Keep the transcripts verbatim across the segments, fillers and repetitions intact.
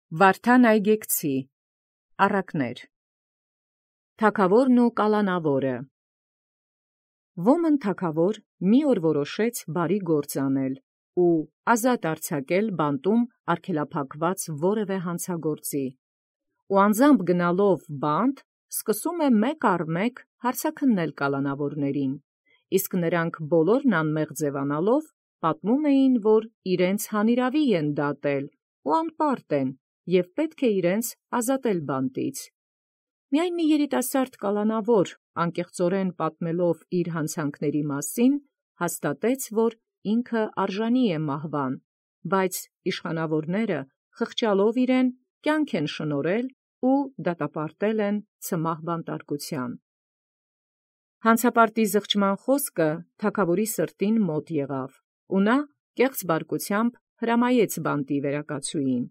Վարդան Այգեկցի առակներ Թագաւորն ու կալանաւորը։ Ոմն թագաւոր մի օր որոշեց բարի գործ անել ու ազատ արձակել բանտում արգելափակված որևէ հանցագործի, ու անձամբ գնալով բանտ սկսում է մեկ առ մեկ հարցաքննել կալանաւորացն, իսկ նոցանք բոլորն անմեղ ձևանալով պատմում էին, որ իրենց հանիրաւի են դատել ու անպարտ են, և պետք է իրենց ազատել բանտից։ Միայն մի երիտասարդ կալանաւոր անկեղծորեն պատմելով իր հանցանքների մասին, հաստատեց, որ ինքը արժանի է մահվան, բայց իշխանաւորները խղճալով իրեն կյանք են շնորհել ու դատապարտել են ցմահ բանտարկութեան։ Հանցապարտի զղջման խոսքը թագաւորի սրտին մոտ եղավ, ու նա կեղծ բարկութեամբ հրամայեց բանտի վերակացուին.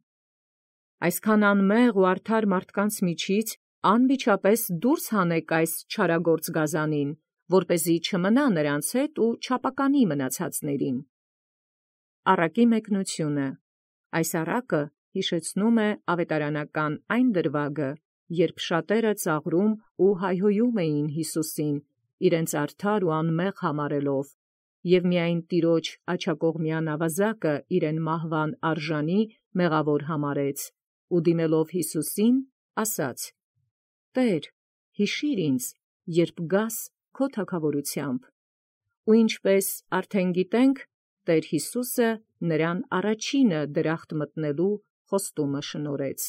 «Այսքան անմեղ ու արդար մարդկանց միջից անմիջապես դուրս հանէք այս չարագործ գազանին, որպեսզի չմնա նրանց հետ ու չապականի մնացածացն»։ Առակի մեկնութիւն. Այս առակը յիշեցնում է աւետարանական այն դրուագը, երբ շատերը ծաղրում ու հայհոյում էին Յիսուսին, իրենց արդար ու անմեղ համարելով, և միայն Տեառն աջակողմեան աւազակը իրեն մահվան արժանի մեղաւոր համարեց, ու դիմելով Յիսուսին ասաց. «Տէր, յիշիր ինձ, երբ գաս քո թագաւորութեամբ»։ Ու ինչպէս արդեն գիտենք, Տէր Յիսուսը նոցին առաջինը դրախտ մտնելու խոստումն շնորհեց։